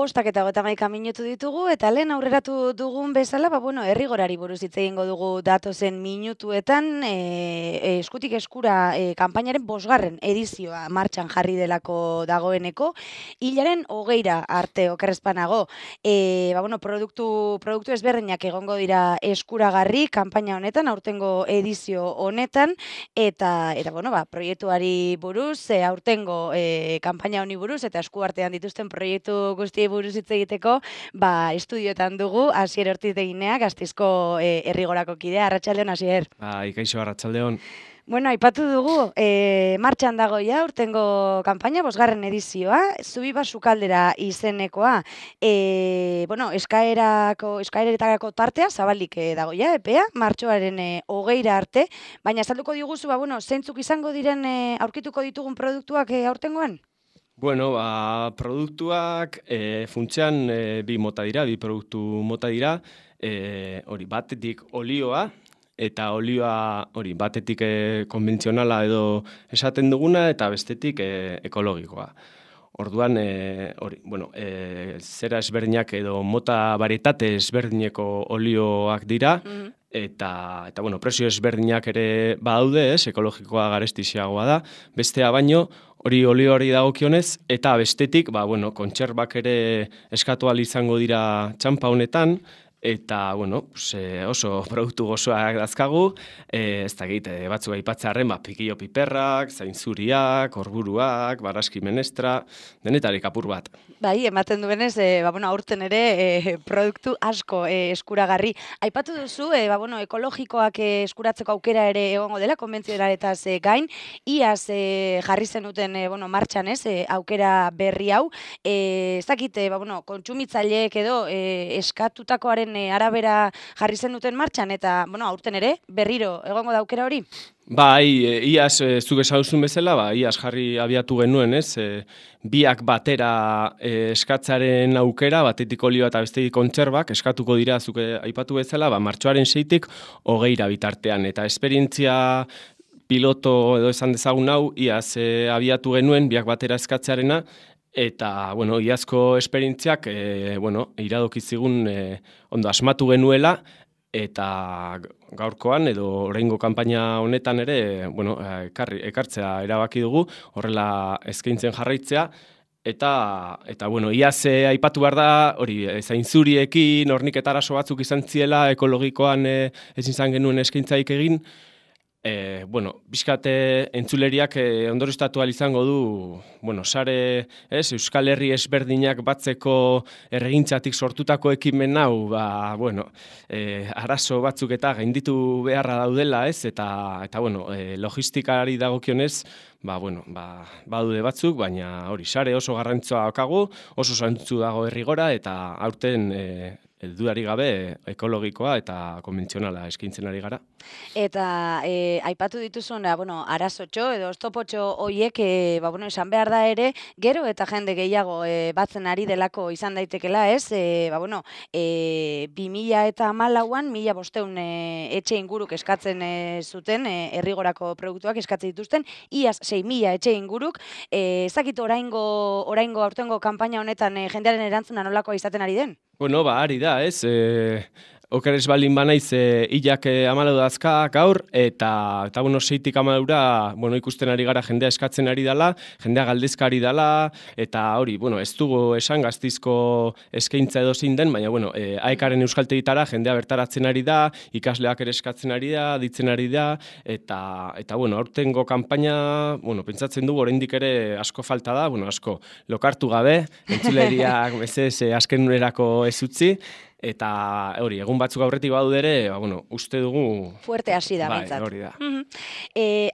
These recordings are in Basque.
5:31 minutu ditugu, eta lehen aurreratu dugun bezala, errigorari buruz hitz egingo dugu datozen minutuetan, eskutik eskura kanpainaren 5. edizioa martxan jarri delako dagoeneko, hilaren 20 arte okerrezpanago, produktu ezberdinak egongo dira eskuragarri kanpaina honetan, aurtengo edizio honetan, eta proiektuari buruz, aurtengo kanpaina honi buruz, eta eskuartean dituzten proiektu guztiei buruz hitz egiteko, estudioetan dugu Asier Ortiz-Deginea, Gasteizko Errigorako kidea. Arratsaldeon, Asier. Kaixo, arratsaldeon. Aipatu dugu, martxan dago ja urtengo kanpaina, 5. edizioa, Zubiba Sukaldera izenekoa, eskaeretarako tartea zabalik dago ja, epea, martxoaren 20 arte, baina azalduko diguzu, zeintzuk izango diren aurkituko ditugun produktuak aurtengoan? Produktuak funtsean bi produktu mota dira, batetik olioa, eta olioa batetik konbentzionala edo esaten duguna, eta bestetik ekologikoa. Orduan, zera ezberdinak edo mota varietate ezberdineko olioak dira, eta presio ezberdinak ere badaude, ekologikoa garestiagoa da, bestea baino, olioari dagokionez, eta bestetik, kontserbak ere eskatu ahal izango dira txanpa honetan, eta, oso produktu gozoak dazkagu, ez dakit, batzuk aipatzearren, pikillo piperrak, zainzuriak, orburuak, baraski menestra, denetarik apur bat. Bai, ematen duenez, aurten ere produktu asko eskuragarri. Aipatu duzu, ekologikoak eskuratzeko aukera ere egongo dela, konbentzionaletaz gain, iaz jarri zenuten martxan aukera berri hau. Ez dakit, kontsumitzaileek edo eskatutakoaren arabera jarri zenuten martxan, eta aurten ere berriro egongo da aukera hori? Iaz zuk esauzun bezala, iaz jarri abiatu genuen, biak batera eskatzaren aukera, batetik olioa eta bestetik kontserbak, eskatuko dira zuk aipatu bezala, martxoaren 6-tik 20 bitartean, eta esperientzia piloto edo esan dezagun hau, iaz abiatu genuen biak batera eskatzearena, eta, iazko esperientziak, iradokizigun ondo asmatu genuela, eta gaurkoan edo oraingo kanpaina honetan ere, ekartzea erabaki dugu, horrela eskaintzen jarraitzea, eta iaz aipatu behar da, zainzuriekin, horniketa arazo batzuk izan ziela, ekologikoan ezin izan genuen eskaintzaik egin, bizkate entzuleriak ondorioztatu ahal izango du, sare, Euskal Herri ezberdinak batzeko erregintzatik sortutako ekimen hau, arazo batzuk eta gainditu beharra daudela, eta logistikari dagokionez, badude batzuk, baina sare oso garrantzua daukagu, oso zantzu dago Errigora, eta aurten dudarik gabe ekologikoa eta konbentzionala eskaintzen ari gara. Eta aipatu dituzun, arazotxo edo oztopotxo horiek, esan behar da ere, gero eta jende gehiago batzen ari delako izan daitekela, 2014an 1.500 etxe inguruk eskatzen zuten, Errigorako produktuak eskatzen dituzten, iaz 6.000 etxe inguruk, ezakit oraingo aurtengo kanpaina honetan jendearen erantzuna nolakoa izaten ari den? Ari da, okeres baldin banaiz hilak 14 dazka gaur, eta 6-tik 14 ikusten ari gara jendea eskatzen ari dela, jendea galdezka ari dela, eta ez dugu esan Gasteizko eskaintza edo zein den, baina AEKaren euskaltegitara jendea bertaratzen ari da, ikasleak ere eskatzen ari da, ditzen ari da, eta aurtengo kanpaina, pentsatzen dugu oraindik ere asko falta da, asko lokartu gabe, entzuleriak azken unerako ez utzi, eta egun batzuk aurretik badu ere, uste dugu... Fuerte hasi da, bintzat. Hori da.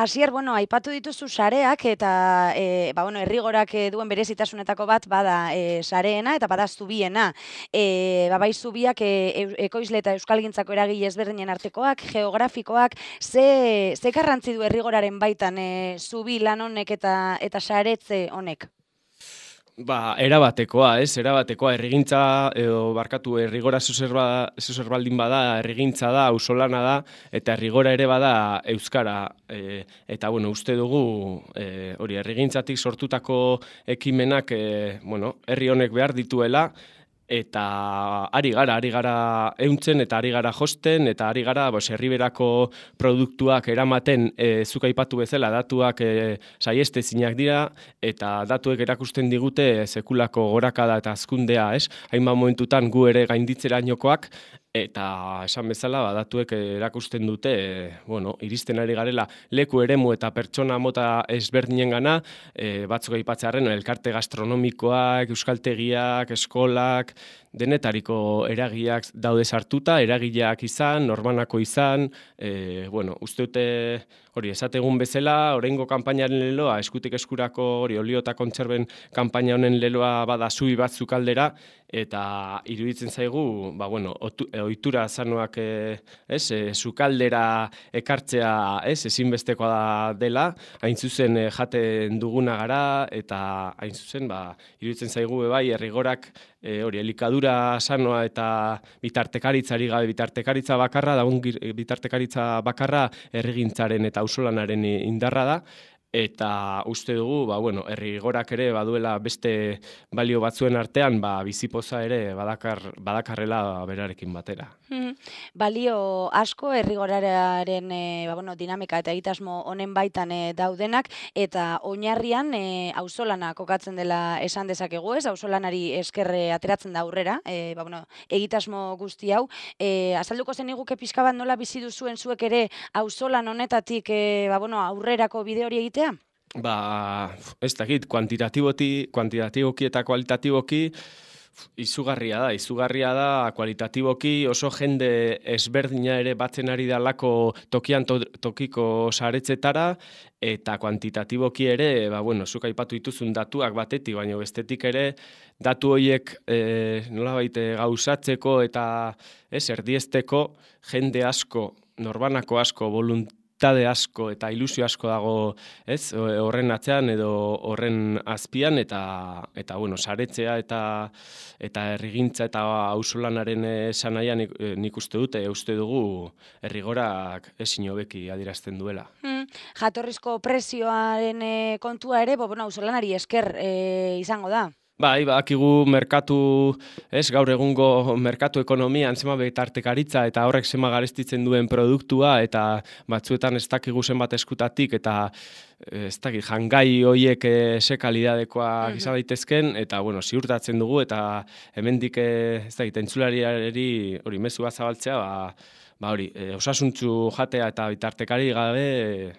Asier, aipatu dituzu sareak, eta Errigorak duen berezitasunetako bat bada sareena, eta bada zubiena. Bai zubiak ekoizle eta euskalgintzako eragile ezberdinen artekoak, geografikoak, ze garrantzi du Errigoraren baitan zubi lan honek eta saretze honek? Erabatekoa, errigintza, errigora zuzer baldin bada, errigintza da, auzolana da, eta errigora ere bada euskara. Eta, uste dugu, errigintzatik sortutako ekimenak, herri honek behar dituela, eta ari gara euntzen eta ari gara josten eta ari gara herriberako produktuak eramaten, zuk aipatu bezala datuak saiestezinak dira eta datuek erakusten digute sekulako gorakada eta hazkundea, hainbat momentutan gu ere gainditzerainokoak. Eta esan bezala, datuek erakusten dute, iristen ari garela leku eremu eta pertsona mota ezberdinen gana, batzuk aipatzearren, elkarte gastronomikoak, euskaltegiak, eskolak, denetariko eragileak daude sartuta, eragileak izan, norbanako izan, uste dute, esategun bezala, oraingo kanpainaren leloa, eskutik eskurako olio eta kontserben kanpaina honen leloa bada zubi batzuk aldera, eta iruditzen zaigu, ohitura sanoak sukaldera ekartzea ezinbestekoa dela, hain zuzen jaten duguna gara, eta hain zuzen iruditzen zaigu bai errigorak elikadura sanoa eta bitartekaritzari gabe bitartekaritza bakarra, bitartekaritza bakarra errigintzaren eta auzolanaren indarra da, eta uste dugu, errigorak ere baduela beste balio batzuen artean, bizipoza ere badakarrela berarekin batera. Balio asko errigoraren dinamika eta egitasmo honen baitan daudenak, eta oinarrian auzolana kokatzen dela esan dezakegu, auzolanari esker ateratzen da aurrera, egitasmo guzti hau. Azalduko zen iguke pixka bat nola bizi duzuen zuek ere auzolan honetatik aurrerako bide hori egitea? Ez dakit, kuantitatiboki eta kualitatiboki, izugarria da, kualitatiboki oso jende ezberdina ere batzen ari dalako tokian tokiko saretzetara, eta kuantitatiboki ere, zuk aipatu dituzun datuak batetik, baina bestetik ere, datu horiek nolabait gauzatzeko eta erdiesteko jende asko, norbanako asko, voluntade asko eta ilusio asko dago horren atzean edo horren azpian, eta saretzea eta errigintza eta auzolanaren esanahia nik uste dugu errigorak ezin hobeki adierazten duela. Jatorrizko prezioaren kontua ere, auzolanari esker izango da. Badakigu merkatu, gaur egungo merkatu ekonomian zema bitartekaritza eta horrek zema garestitzen duen produktua, eta batzuetan ez dakigu zenbat eskutatik, eta ez dakit, jangai horiek ze kalidadekoak izan daitezken, eta ziurtatzen dugu, eta hemendik ez dakit, entzulariari hori mezu bat zabaltzea, osasuntzu jatea eta bitartekari gabe,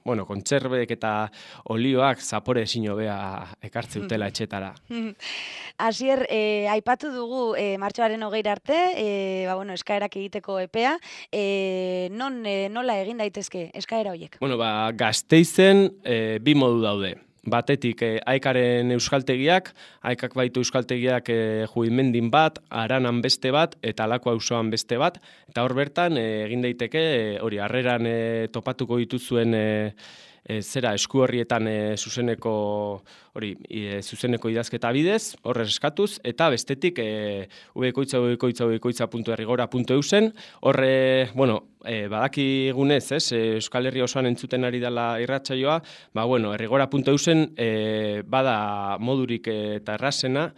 kontserbek eta olioak zapore ezin hobea ekartze dutela etxetara. Asier, aipatu dugu martxoaren 20 arte, eskaerak egiteko epea, nola egin daitezke eskaera horiek? Gasteizen bi modu daude. Batetik Aikaren euskaltegiak, Aikak baitu euskaltegiak Juimendin bat, Aranan beste bat, eta Alako auzoan beste bat, eta hor bertan egin daiteke, harreran topatuko dituzuen esku horrietan zuzeneko idazketa bidez, horrez eskatuz, eta bestetik ubekoitza.errigora.eusen, horre, badakigunez, Euskal Herria osoan entzuten ari dela irratsaioa, errigora.eusen bada modurik eta errazena,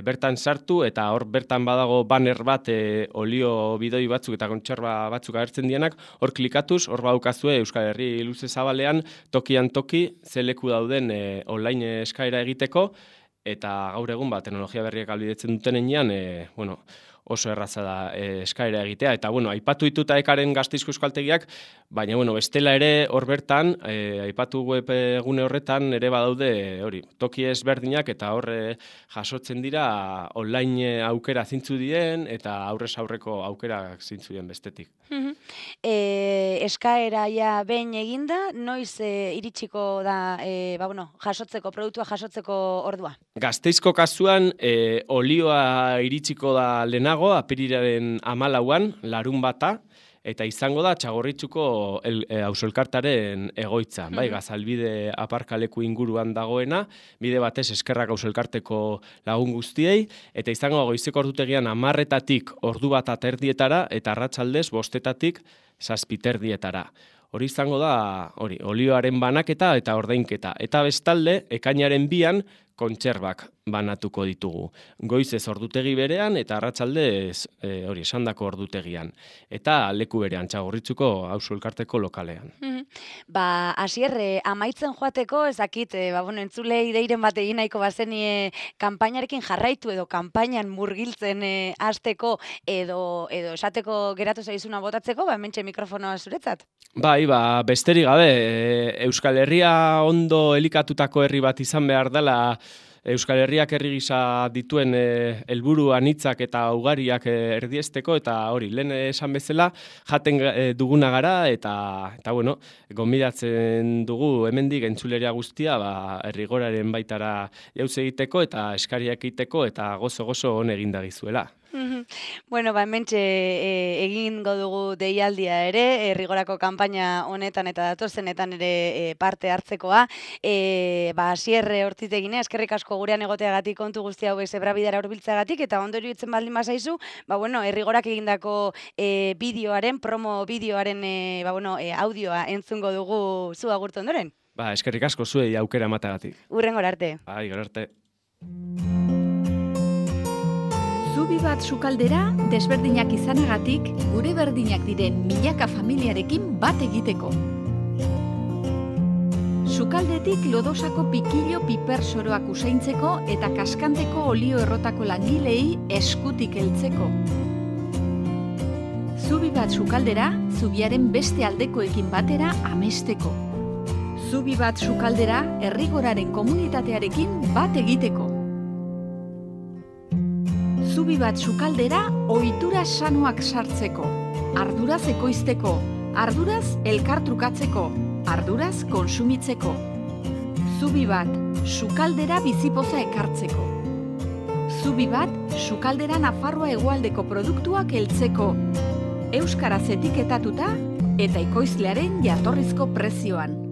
bertan sartu, eta hor bertan badago banner bat olio bidoi batzuk eta kontserba batzuk agertzen dienak, hor klikatuz, hor badukazue Euskal Herri luze zabalean, tokian toki, ze leku dauden online eskaera egiteko, eta gaur egun teknologia berriak ahalbidetzen duten enean, oso erraza da eskaera egitea. Eta, aipatu dituta Aikaren Gasteizko euskaltegiak, baina, bestela ere hor bertan, aipatu web egune horretan ere badaude, toki ezberdinak eta horre jasotzen dira online aukera zintzu dien eta aurrez aurreko aukera zintzu dien bestetik. Eskaera behin eginda, noiz iritsiko da jasotzeko, produktua jasotzeko ordua? Gasteizko kasuan, olioa iritsiko da lehenago, apirilaren 14an, larunbata, eta izango da Txagorritxuko auzoelkartaren egoitza, bai, Gazalbide aparkaleku inguruan dagoena, bide batez eskerrak auzoelkarteko lagun guztiei, eta izango goizeko ordutegian 10:00-tatik ordu bat aterdietara, eta arratsaldez 5:00-tatik 7:30-etara. Hori izango da, olioaren banaketa eta ordainketa. Eta bestalde, ekainaren 2an kontserbak banatuko ditugu. Goizez ordutegi berean eta arratsaldez esandako ordutegian. Eta leku berean Txagorritxuko auzoelkarteko lokalean. Asier, amaitzen joateko, ez dakit, entzulei deiren bat egin nahiko bazenie kanpainarekin jarraitu edo kanpainan murgiltzen hasteko edo esateko geratu zaizuna botatzeko, hementxe mikrofonoa zuretzat. Bai, besterik gabe, Euskal Herria ondo elikatutako herri bat izan behar dela, Euskal Herriak herri gisa dituen helburu anitzak eta ugariak erdiesteko, eta hori, lehen esan bezala, jaten duguna gara, eta gonbidatzen dugu hemendik entzuleria guztia, Errigoraren baitara jauz egiteko, eta eskariak egiteko, eta gozo on egindagizuela. Hementxe egingo dugu deialdia ere, Errigorako kanpaina honetan eta datozenetan ere parte hartzekoa. Asier Ortitegine, eskerrik asko gurean egoteagatik, kontu guzti hau zebrabidara hurbiltzeagatik, eta ondorio itzen baldin bazaizu, Errigorak egindako bideoaren, promo bideoaren audioa entzungo dugu zu agurtu ondoren. Eskerrik asko zuei aukera ematagatik. Hurrengora arte. Gero arte. Zubi bat sukaldera, desberdinak izanagatik, gure berdinak diren milaka familiarekin bat egiteko. Sukaldetik lodosako pikilo piper soroak usaintzeko eta kaskanteko olio errotako langilei eskutik heltzeko. Zubi bat sukaldera, zubiaren beste aldekoekin batera amesteko. Zubi bat sukaldera, Errigoraren komunitatearekin bat egiteko. Zubi bat sukaldera, ohitura sanoak sartzeko, arduraz ekoizteko, arduraz elkartrukatzeko, arduraz konsumitzeko. Zubi bat sukaldera bizipoza ekartzeko. Zubi bat sukaldera Nafarroa hegoaldeko produktuak heltzeko, euskaraz etiketatuta eta ekoizlearen jatorrizko prezioan.